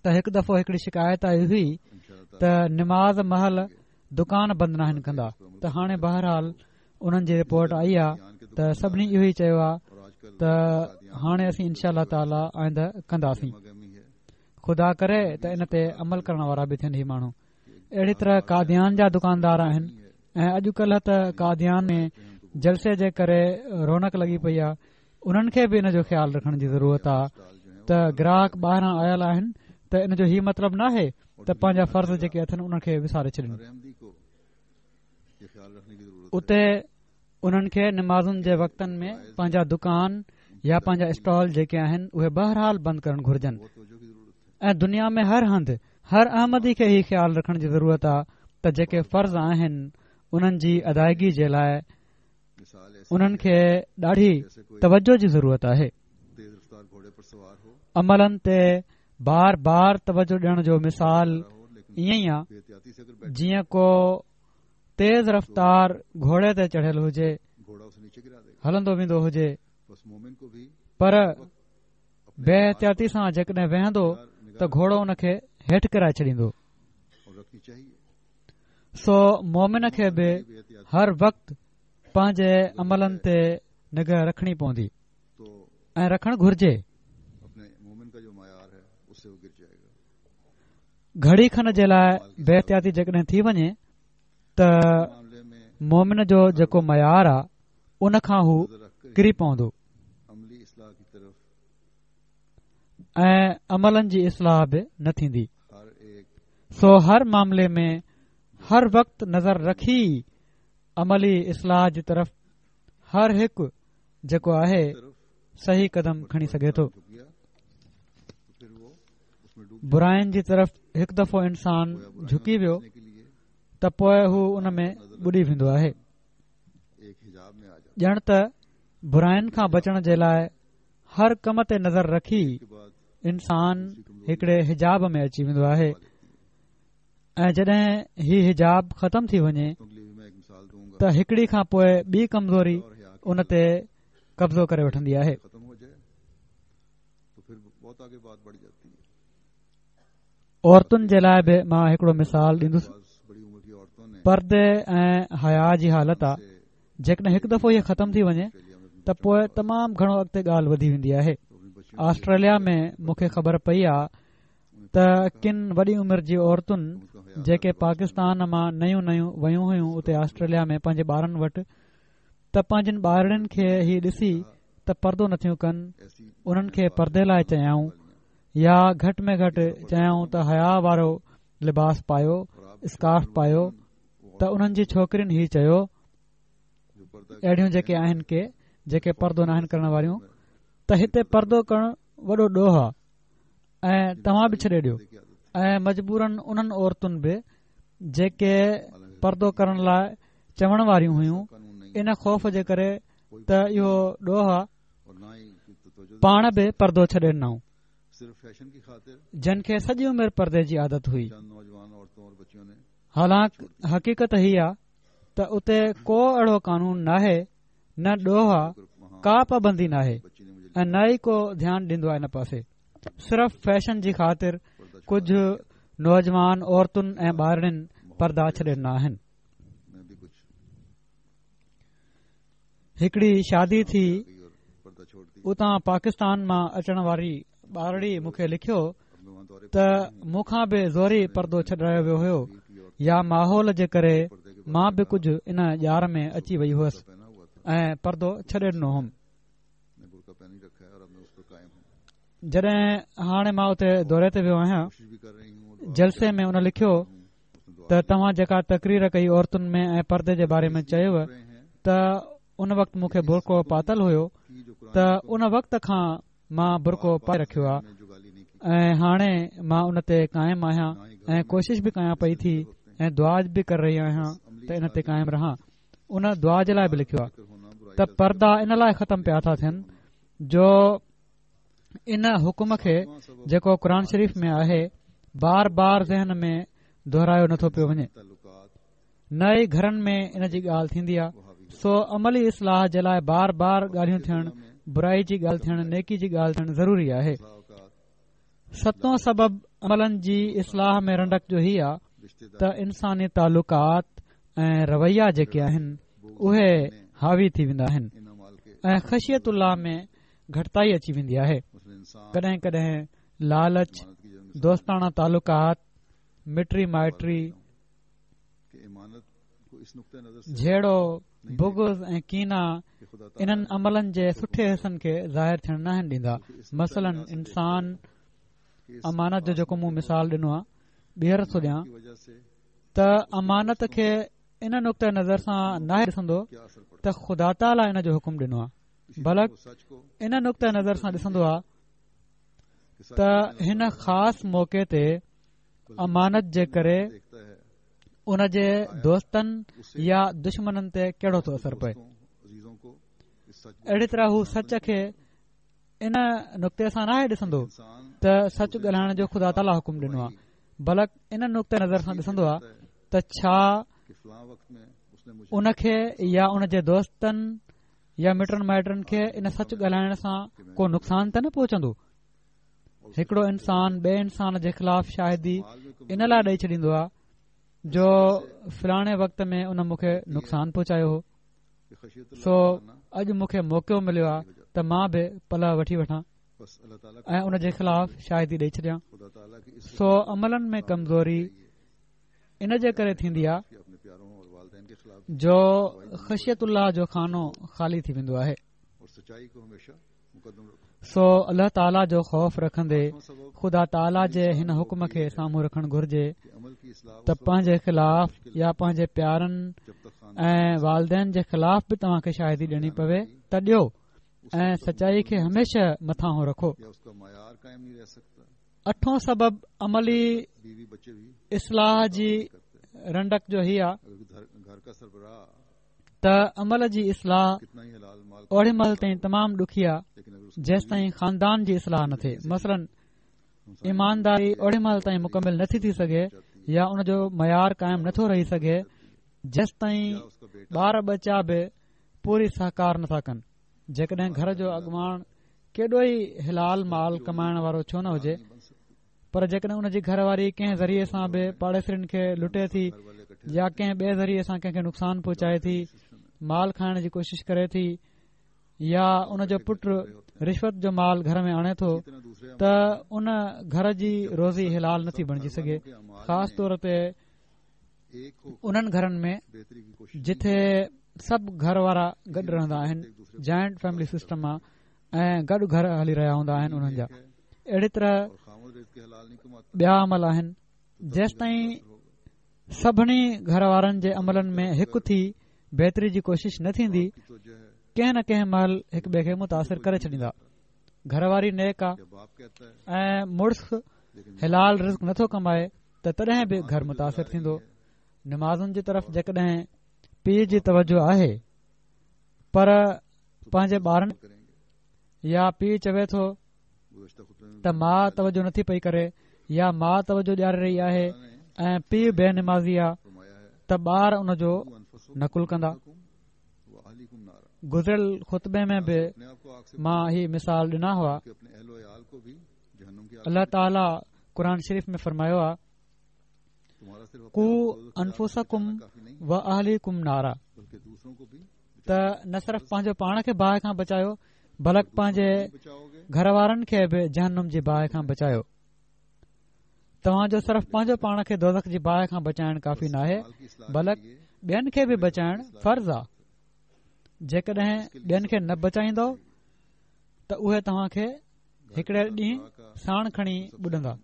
ته هڪ دفعو هڪڙي شڪايت آئي هئي ته نماز مهل دڪان بند ناهن ڪندا، ته هاڻي بهرحال انهن جي رپورٽ آئي آ ته سڀني اهو ئي چيو آ ته هاڻي اسين انشاء الله تعالي آئنده ڪنداسين. خدا ڪري ته ان تي عمل ڪرڻ وارا به ٿين هي ماڻهو. اهڙي طرح قاديان جا دڪاندار آهن ۽ اڄ ڪلهه ته قاديان ۾ جلسي جي ڪري رونق لڳي پئي آ، انهن کي به ان جو خيال رکڻ جي ضرورت آ ته گراهڪ ٻاهران آيل آهن ته ان جو هي مطلب ناهي ته پنهنجا فرض جيڪي اٿن انهن کي وساري ڇڏين. اتي انهن کي نمازن جي وقتن ۾ پنهنجا دڪان يا پنهنجا اسٽال جيڪي آهن اهي بهرحال بند ڪرڻ گهرجن ۽ دنيا ۾ هر هنڌ هر احمدي کي هي خيال رکڻ جي ضرورت آهي ته جيڪي فرض آهن انهن جي ادائگي جي لاء انهن کي ڏاڍي توجه جي ضرورت آهي. عملن تي بار بار توجه ڏيڻ جو مثال ائين ئي آ جيئن ڪو تيز رفتار گهوڙي تي چڙهيل هجي، هلندو ويندو هجي، پر بي احتياطي سان جيڪڏهن ويهندو ته گهوڙو ان کي هيٺ ڪرائي ڇڏيندو. سو مومن کي به هر وقت پنهنجي عملن تي نگاهه رکڻي پوندي ۽ رکڻ گهرجي. گهڙي کن جي لاء بي احتياطي جيڪڏهن ٿي وڃي ته مومن جو جيڪو معيار آ ان کان هو ڪري پوندو ۽ عملن جي اصلاح به نه ٿيندي. سو هر معاملي ۾ هر وقت نظر رکي عملي اصلاح جي طرف هر هڪ جيڪو آهي صحيح قدم کڻي سگهي ٿو. براين جي طرف هڪ دفعو انسان جهڪي ويو ته پوء هو ان ۾ ٻڏي ويندو آهي. ڄڻ ته براين کان بچڻ جي لاء هر ڪم تي نظر رکي. انسان هڪڙي حجاب ۾ اچي ويندو آهي ۽ جڏهن هي حجاب ختم ٿي وڃي ته هڪڙي کان پوء ٻي ڪمزوري ان تي قبضو ڪري وٺندي آهي. عورتن جي لاء به مان هڪڙو مثال ڏيندس. پردي ۽ حيا جي حالت آ جيڪڏهن هڪ دفعو هيء ختم ٿي وڃي ته پوء تمام گهڻو اڳتي ڳالهه وڌي ويندي آهي. آسٽريليا ۾ مون کي خبر پئي آ ته ڪن وڏي عمر جي عورتن جيڪي پاڪستان مان نيون نيون ويون هيون اتي آسٽريليا ۾ پنهنجي ٻارن وٽ ته پنهنجن ٻارڙين کي هي ڏسي ته پردو نٿيون ڪن انهن کي پردي لاء چيائون يا گهٽ ۾ گهٽ چيائون ته حيا وارو لباس پايو اسڪارف پايو ته انهن جي ڇوڪرين هي چيو اهڙيون جيڪي آهن ڪي جيڪي پردو ناهن ڪرڻ واريون ته هتي پردو ڪرڻ وڏو ڏوهه آهي ۽ توهان به ڇڏي ڏيو ۽ مجبورن انهن عورتن به جيڪي پردو ڪرڻ لاء چوڻ واريون هيون ان خوف جي ڪري ته اهو ڏوهه آ پاڻ به پردو ڇڏي ڏنائون جن کي سڄي عمر پردي جي عادت هئي حالانڪ حقيقت هي آ ته اتي ڪو اهڙو قانون ناهي نه ڏوهه آ ڪا پابندي ناهي ۽ نه ئي ڪو ڌيان ڏيندو آ ان پاسي صرف فيشن جي خاطر ڪجهه نوجوان عورتن ۽ ٻارڙين پردا ڇڏي ڏنا آهن هڪڙي شادي ٿي اتان پاڪستان مان اچڻ واري ٻارڙي مون کي لکيو ته مون کان به زوري پردو ڇڏرايو ويو هيو يا ماحول جي ڪري مان به ڪجهه ان ڄار ۾ اچي وئي هئس ۽ پردو ڇڏي ڏنو هوم جڏهن هاڻي مان اتي دوري تي ويو آهيان جلسي ۾ ان لکيو ته توهان جيڪا تقرير ڪئي عورتن ۾ ۽ پردي جي باري ۾ چيو ته ان وقت مون کي برقعو پاتل هيو ته ان وقت کان مان برقعو پائي رکيو آ ۽ هاڻي مان ان تي قائم آهيان ۽ ڪوشش به ڪيان پئي ٿي ۽ دعا به ڪري رهي آهيان ته ان تي قائم رهان ان دعا جي لاء به لکيو آ ته پردا ان لاء ختم پيا ٿا ٿين جو ان حڪم کي جيڪو قرآن شريف ۾ آهي بار بار ذهن ۾ دهرايو نٿو پيو وڃي نه ئي گهرن ۾ ان جي ڳالهه ٿيندي آهي سو عملي اصلاح جي لاء بار بار ڳالهيون ٿيڻ برائي جي ڳالهه ٿيڻ نيڪي جي ڳالهه ٿيڻ ضروري آهي ستون سبب عملن جي اصلاح ۾ رنڊڪ جو هي آ ته انساني تعلقات ۽ رويا جيڪي آهن اهي حاوي ٿي ويندا آهن ۽ خشيت الله ۾ گهٽتائي اچي ويندي آهي ڪڏهن ڪڏهن لالچ دوستاڻا تعلقات مٽي مائٽي جهيڙو بغض ۽ ڪينا انهن عملن جي سٺي حصن کي ظاهر ٿيڻ ناهن ڏيندا مثلاً انسان امانت جو جيڪو مون مثال ڏنو آهي ٻيهر ٿو ڏيان ته امانت کي ان نقطه نظر سان ناهي ڏسندو ته خدا تعاليٰ ان جو حڪم ڏنو آهي بلڪ ان نقطه نظر سان ڏسندو آهي ته هن خاص موقعي تي امانت جي ڪري ان جي دوستن يا دشمنن تي ڪهڙو ٿو اثر پئي اهڙي طرح هو سچ کي ان نقطي سان ناهي ڏسندو ته سچ ڳالهائڻ جو خدا تعاليٰ حڪم ڏنو آهي بلڪ ان نقطه نظر سان ڏسندو آهي ته ڇا ان کي يا ان جي دوستن يا مٽن مائٽن کي ان سچ ڳالهائڻ سان ڪو نقصان ته نه پهچندو هڪڙو انسان ٻئي انسان جي خلاف شاهدي ان لاء ڏئي ڇڏيندو آهي جو فلاڻي وقت ۾ ان مون کي نقصان پهچايو هو سو اڄ مون کي موقعو مليو آهي ته مان به پلئه وٺي وٺان ۽ ان جي خلاف شاهدي ڏئي ڇڏيان سو عملن ۾ ڪمزوري ان جي ڪري ٿيندي آهي جو خشيت الله جو خانو خالي ٿي ويندو آهي سو الله تعاليٰ جو خوف رکندي خدا تعاليٰ جي هن حڪم کي سامهون رکڻ گهرجي ته پنهنجي خلاف يا پنهنجي پيارن ۽ والدين جي خلاف به توهان کي شاهدي ڏيڻي پوي ته ڏيو ۽ سچائي کي هميشه مٿانهون رکو اٺون سبب عملي اصلاح جي رنڊڪ جو هي آ ته عمل جي اصلاح اوڏي مهل تائين تمام ڏکي آ جيستائين خاندان جي اصلاح نه ٿئي مثلاً. ايمانداري اوڏي مهل تائين مڪمل نٿي ٿي سگهي يا ان جو معيار قائم نٿو رهي سگهي جيستائين ٻار ٻچا به پوري سهڪار نٿا ڪن. جيڪڏهن گهر جو اڳواڻ ڪيڏو ئي حلال مال ڪمائڻ وارو ڇو نه هجي پر جيڪڏهن ان جي گهر واري ڪنهن ذريعي سان به پاڙيسرين کي لٽي ٿي يا ڪنهن ٻئي ذريعي سان ڪنهن کي نقصان پهچائي ٿي، مال کائڻ جي ڪوشش ڪري ٿي يا ان جو پٽ رشوت جو مال گهر ۾ آڻي ٿو ته ان گهر جي روزي حلال نٿي بڻجي سگهي. خاص طور تي انهن گهرن ۾ جتي سڀ گهر وارا گڏ رهندا آهن، جوائنٽ فيملي سسٽم آ ۽ گڏ گهر هلي رهيا هوندا آهن انهن جا. اهڙي طرح ٻيا عمل آهن. جيستائين سڀني گهر وارن جي عملن ۾ هڪ ٿي بهتري جي ڪوشش نه ٿيندي، ڪنهن نه ڪنهن مهل هڪ ٻئي کي متاثر ڪري ڇڏيندا. گهر واري نيڪ آ ۽ مڙس حلال رزق نٿو ڪمائي ته تڏهن به گهر متاثر ٿيندو. نمازن جي طرف جيڪڏهن پيء جي توجه آهي پر پنهنجي ٻارن يا پيء چوي ٿو ته ماء توجه نٿي پئي ڪري يا ماء توجه ڏياري رهي آهي ۽ پيء بي نمازي آ ته ٻار ان جو نقل ڪندا. گذريل خطبي ۾ به مان هي مثال ڏنا هئا. الله تعاليٰ قرآن شريف ۾ فرمايو آ قوا انفسڪم و اهليڪم نارا ته نه صرف پنهنجو پاڻ کي باهه کان بچايو بلڪ پنهنجي گهر وارن کي به جهنم جي باهه کان بچايو. توهان جو صرف پنهنجو پاڻ کي دوزخ جي باهه کان بچائڻ ڪافي ناهي بلڪ ٻين کي به بچائڻ فرض آ. جيڪڏهن ٻين کي نه بچائيندو ته اهي توهان کي هڪڙي ڏينهن ساڻ کڻي ٻڏندا.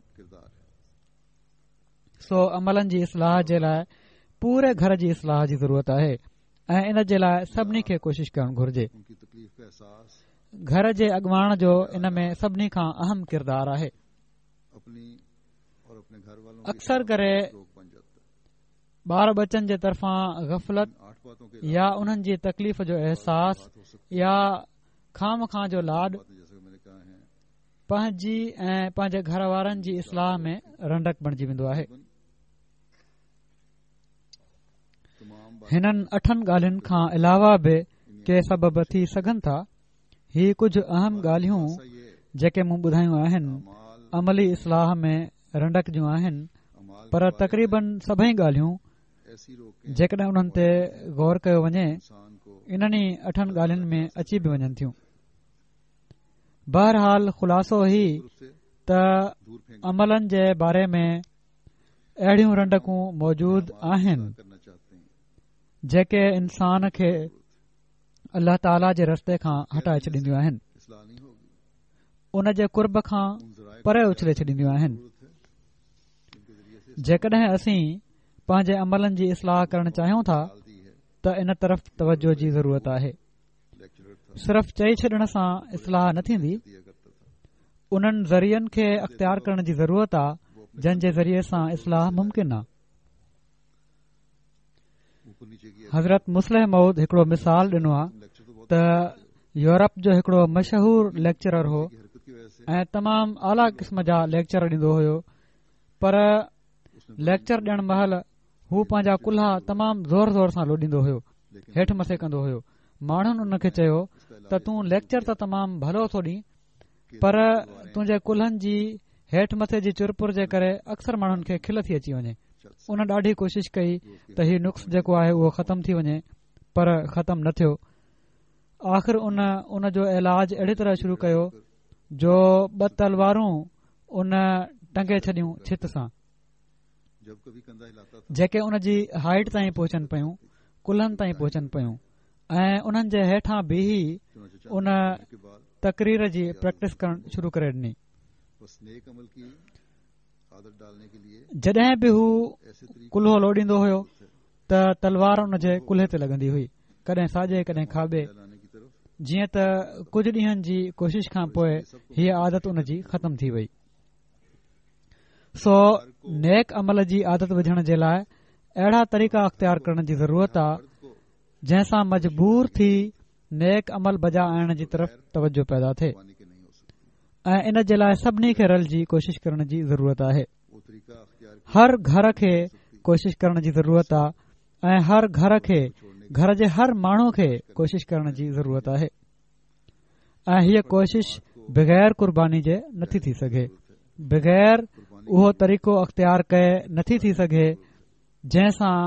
سو عملن جي اصلاح جي لاء پوري گهر جي اصلاح جي ضرورت آهي ۽ ان جي لاء سڀني کي ڪوشش ڪرڻ گهرجي. گهر جي اڳواڻ جو ان ۾ سڀني کان اهم ڪردار آهي. اڪثر ڪري ٻار ٻچن جي طرفان غفلت يا انهن جي تڪليف جو احساس يا خوامخواه جو لاڏ پنهنجي ۽ پنهنجي گهر وارن جي اصلاح ۾ رنڊڪ بڻجي ويندو آهي. هنن اٺن ڳالهين کان علاوه به ڪي سبب ٿي سگهن ٿا. هي ڪجهه اهم ڳالهيون جيڪي مون ٻڌايون آهن عملي اصلاح ۾ رنڊڪ جون آهن پر تقريبن سڀئي ڳالهيون جيڪڏهن انهن تي غور ڪيو وڃي انهن ئي اٺن ڳالهين ۾ اچي به وڃن ٿيون. بهرحال خلاصو هي ته عملن جي باري ۾ اهڙيون رنڊڪون موجود آهن جيڪي انسان کي الله تعاليٰ جي رستي کان هٽائي ڇڏينديون آهن، ان جي قرب کان پري اڇلي ڇڏينديون آهن. جيڪڏهن اسين پنهنجي عملن جي اصلاح ڪرڻ چاهيون ٿا ته ان طرف توجه جي ضرورت آهي. صرف چئي ڇڏڻ سان اصلاح نه ٿيندي، انهن ذريعن کي اختيار ڪرڻ جي ضرورت آ جن جي ذريعي سان اصلاح ممڪن آ. حضرت مصلح موعود هڪڙو مثال ڏنو آ ته يورپ جو هڪڙو مشهور ليڪچرر هو ۽ تمام اعليٰ قسم جا ليڪچر ڏيندو هيو پر ليڪچر ڏيڻ مهل هو پنهنجا ڪلها تمام زور زور سان لوڏيندو هيو، هيٺ مٿي ڪندو هيو. ماڻهن ان کي چيو ته تون ليڪچر ته تمام ڀلو ٿو ڏين پر تنهنجي ڪلهن جي هيٺ مٿي جي چرپر جي ڪري اڪثر ماڻهن کي کل ٿي اچي وڃي. ان ڏاڍي ڪوشش ڪئي ته هي نقص جيڪو آهي اهو ختم ٿي وڃي پر ختم نه ٿيو. آخر ان ان جو علاج اهڙي طرح شروع ڪيو جو ٻه تلوارون ان ٽنگي ڇڏيون ڇت سان. جيڪي ان جي هائيٽ تائين پهچن پيون، ڪلهن تائين پهچن پيون ۽ انهن جي هيٺان بيهي ان تقرير جي پريڪٽس ڪرڻ شروع ڪري ڏني. جڏهن به هو ڪلهو لوڏيندو هيو ته تلوار ان جي ڪلهي تي لڳندي هئي، ڪڏهن ساڄي ڪڏهن کاٻي، جيئن ته ڪجهه ڏينهن جي ڪوشش کان پوء هيء عادت ان جي ختم ٿي وئي. سو نيڪ عمل جي عادت وجهڻ جي لاء اهڙا طريقا اختيار ڪرڻ جي ضرورت آ جنهن سان مجبور ٿي نيڪ عمل بجا آڻڻ جي طرف توجه پيدا ٿئي. ۽ ان جي لاء سڀني کي رلجي ڪوشش ڪرڻ جي ضرورت آهي. هر گهر کي ڪوشش ڪرڻ جي ضرورت آهي ۽ هر گهر کي گهر جي هر ماڻهو کي ڪوشش ڪرڻ جي ضرورت آهي ۽ هيء ڪوشش بغير قرباني جي نٿي ٿي سگهي بغير اهو طريقو اختيار ڪئي نٿي ٿي سگهي جنهن سان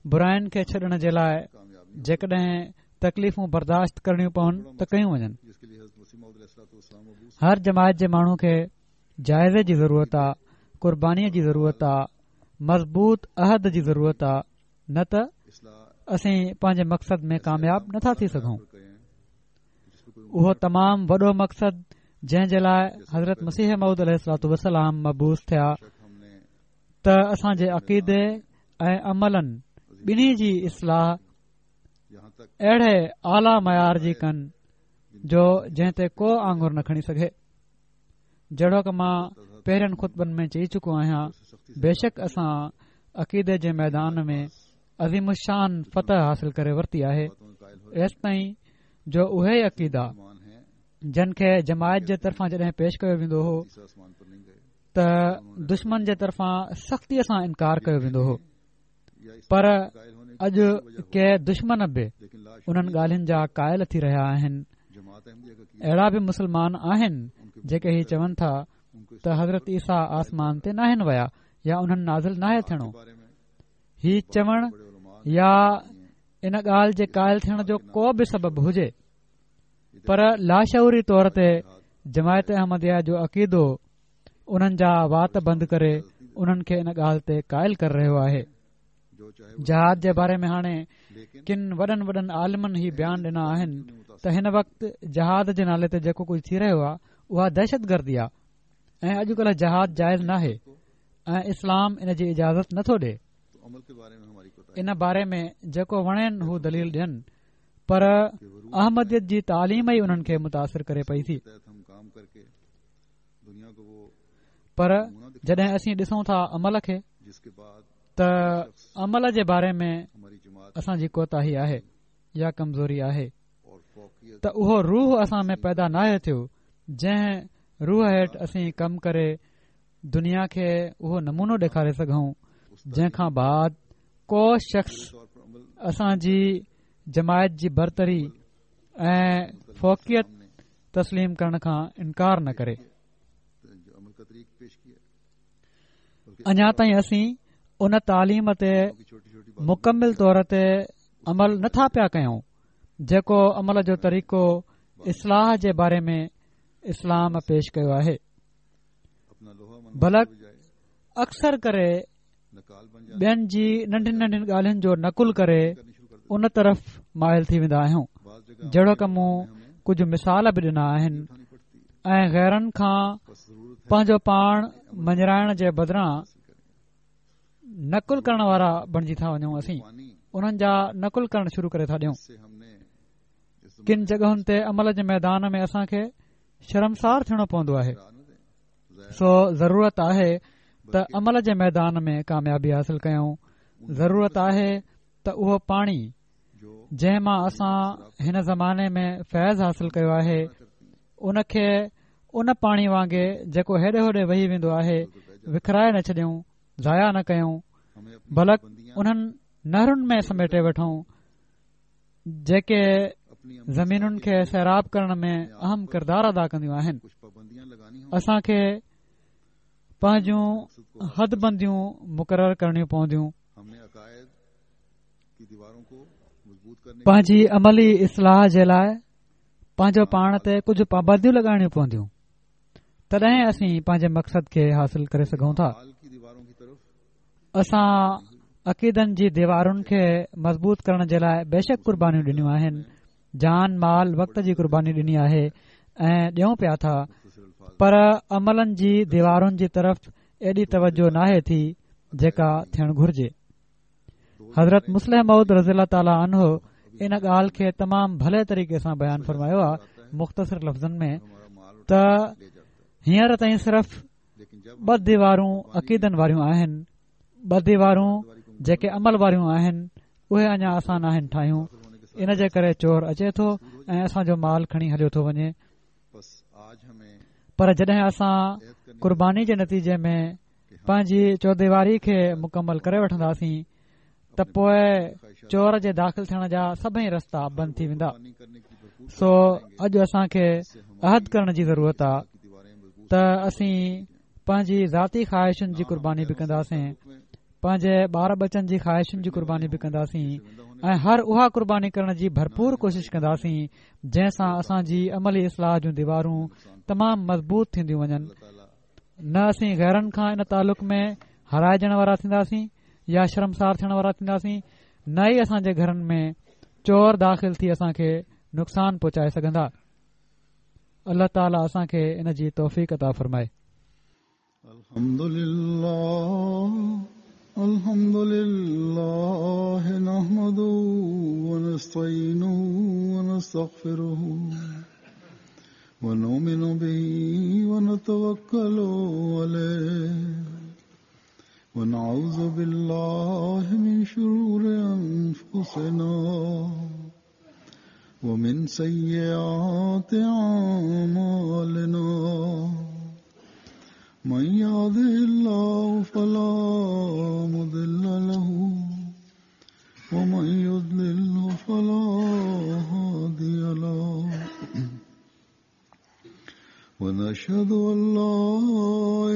براين کي ڇڏڻ جي لاء جيڪڏهن تڪليفون برداشت ڪرڻيون پون ته ڪيون وڃن. هر جماعت جي ماڻهو کي جائزي جي ضرورت آ، قربانيء جي ضرورت آ، مضبوط عهد جي ضرورت آ، نه ته اسين پنهنجي مقصد ۾ ڪامياب نٿا ٿي سگهون. اهو تمام وڏو مقصد جنهن جي لاء حضرت مسيح موعود عليه الصلوة والسلام مبعوث ٿيا ته اسان جي عقيدي ۽ عملن ٻنهي جي اصلاح اهڙي اعليٰ معيار جي ڪن جو جنهن تي ڪو آڱر نه کڻي سگهي جهڙوڪ مان پهرين خطبن ۾ چئي چڪو آهيان بيشڪ اسان عقيدي جي ميدان ۾ عظيم الشان فتح حاصل ڪري ورتي آهي ايستائين جو اهي عقيدا جن کي جماعت جي طرفان جڏهن پيش ڪيو ويندو هو ته دشمن جي طرفان سختيء سان انڪار ڪيو ويندو هو پر اڄ ڪي دشمن به انهن ڳالهين جا قائل ٿي رهيا آهن اهڙا به مسلمان آهن جيڪي هي چون ٿا ته حضرت عيسيٰ آسمان تي ناهن ويا يا انهن نازل ناهي ٿيڻو هي چوڻ يا ان ڳالهه جي قائل ٿيڻ جو ڪو به سبب هجي پر لاشعوري طور تي جماعت احمديه جو عقيدو انهن جا وات بند ڪري انهن کي ان ڳالهه تي قائل ڪري رهيو آهي. جهاد جي باري ۾ هاڻي ڪن وڏن وڏن عالمن هي بيان ڏنا آهن ته هن وقت جهاد جي نالي تي جيڪو ڪجهه ٿي رهيو آهي اها دهشت گردي آهي ۽ اڄڪلهه جهاد جائز ناهي ۽ اسلام ان جي اجازت نٿو ڏي. ان باري ۾ جيڪو وڻين هو دليل ڏين پر احمديت جي تعليم ئي انهن کي متاثر ڪري پئي ٿي پر جڏهن اسين ڏسون ٿا عمل کي ته عمل جي باري ۾ اسان جي ڪوتاهي آهي يا ڪمزوري آهي ته اهو روح اسان ۾ پيدا ناهي ٿيو جنهن روح هيٺ اسين ڪم ڪري دنيا کي اهو نمونو ڏيکاري سگهون جنهن کان بعد ڪو شخص اسان جي جماعت جي برتري ۽ فوقيت تسليم ڪرڻ کان انڪار نه ڪري. اڃا تائين اسين ان تعليم تي مڪمل طور تي عمل نٿا پيا ڪيون جيڪو عمل جو طريقو اصلاح جي باري ۾ اسلام پيش ڪيو آهي بلڪ اڪثر ڪري ٻين جي ننڍين ننڍين ڳالهين جو نقل ڪري ان طرف مائل ٿي ويندا آهيون جهڙوڪ مون ڪجهه مثال به ڏنا آهن ۽ غيرن کان پنهنجو پاڻ مڃرائڻ جي بدران نقل ڪرڻ وارا بڻجي ٿا وڃون اسين انهن جا نقل ڪرڻ شروع ڪري ٿا ڏيون ڪن جڳهن تي عمل جي ميدان ۾ اسان کي شرمسار ٿيڻو پوندو آهي سو ضرورت آهي ته عمل جي ميدان ۾ ڪاميابي حاصل ڪيون ضرورت آهي ته اهو پاڻي جنهن مان اسان هن زماني ۾ فيض حاصل ڪيو آهي ان کي ان پاڻي وانگي جيڪو هيڏي هوڏي وهي ويندو آهي وکرائي نه ڇڏيون ضايع نه ڪيون بلڪ انهن نهرن ۾ سميٽي وٺون جيڪي زمينن کي سيراب ڪرڻ ۾ اهم ڪردار ادا ڪنديون آهن اسان کي پنهنجون حد بنديون مقرر ڪرڻيون پونديون پنهنجي عملي اصلاح جي لاء پنهنجو پاڻ تي ڪجهه پابنديون لڳائڻيون پونديون تڏهن اسين پنهنجي مقصد کي حاصل ڪري سگهون ٿا اسان عقيدن جي ديوارن کي مضبوط ڪرڻ جي لاء بيشڪ قربانيون ڏنيون آهن جان مال وقت جي قرباني ڏني آهي ۽ ڏيون پيا ٿا پر عملن جي ديوارن جي طرف ايڏي توجه ناهي ٿي جيڪا ٿيڻ گهرجي حضرت مصلح موعود رضي الله تعاليٰ عنه ان ڳالهه کي تمام ڀلي طريقي سان بيان فرمايو آهي مختصر لفظن ۾ ته هينئر تائين صرف ٻه ديوارون عقيدن واريون آهن ٻه ديوارون جيڪي عمل واريون آهن اهي اڃا اسان ناهن ٺاهيون ان جي ڪري چور اچي ٿو ۽ اسان جو مال کڻي هليو ٿو وڃي. پر جڏهن اسان قرباني جي نتيجي ۾ پنهنجي چوديواري کي مڪمل ڪري وٺنداسين ته پوء چور جي داخل ٿيڻ جا سڀئي رستا بند ٿي ويندا. سو اڄ اسان کي عهد ڪرڻ جي ضرورت آ ته اسين پنهنجي ذاتي خواهشن جي قرباني به ڪنداسين، پنهنجي ٻار ٻچن جي خواهشن جي قرباني به ڪنداسين ۽ هر اها قرباني ڪرڻ جي ڀرپور ڪوشش ڪنداسين جنهن سان اسان جي عملي اصلاح جون ديوارون تمام مضبوط ٿينديون وڃن. نه اسين غيرن کان ان تعلق ۾ هارائجڻ وارا ٿينداسين يا شرمسار ٿيڻ وارا ٿينداسين، نه ئي اسان جي گهرن ۾ چور داخل ٿي اسان کي نقصان پهچائي سگهندا. الله تعالي اسان کي ان جي توفيق عطا فرمائي. الحمد لله الحمد لله نحمده ونستعينه ونستغفره ونؤمن به ونتوكل عليه ونعوذ بالله من شرور أنفسنا ومن سيئات أعمالنا من يهده الله فلا مضل له ومن يضلل فلا هادي له ونشهد أن لا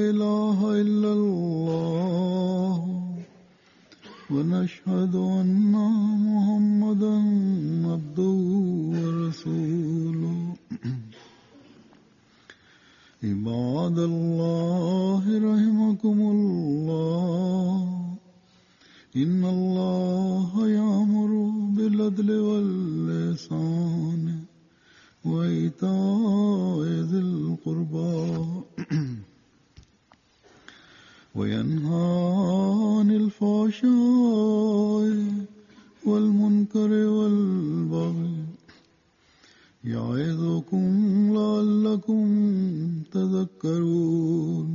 إله إلا الله ونشهد أن محمدا عبده ورسوله عباد الله رحمكم الله إن الله يأمر بالعدل والإحسان وإيتاء ذي القربى وينهى عن الفحشاء والمنكر والبغي يعظكم لعلكم تذكرون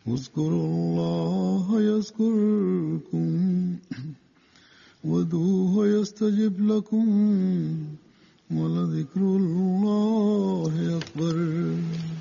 اذكروا الله يذكركم وادعوه يستجب لكم ولذكر الله أكبر.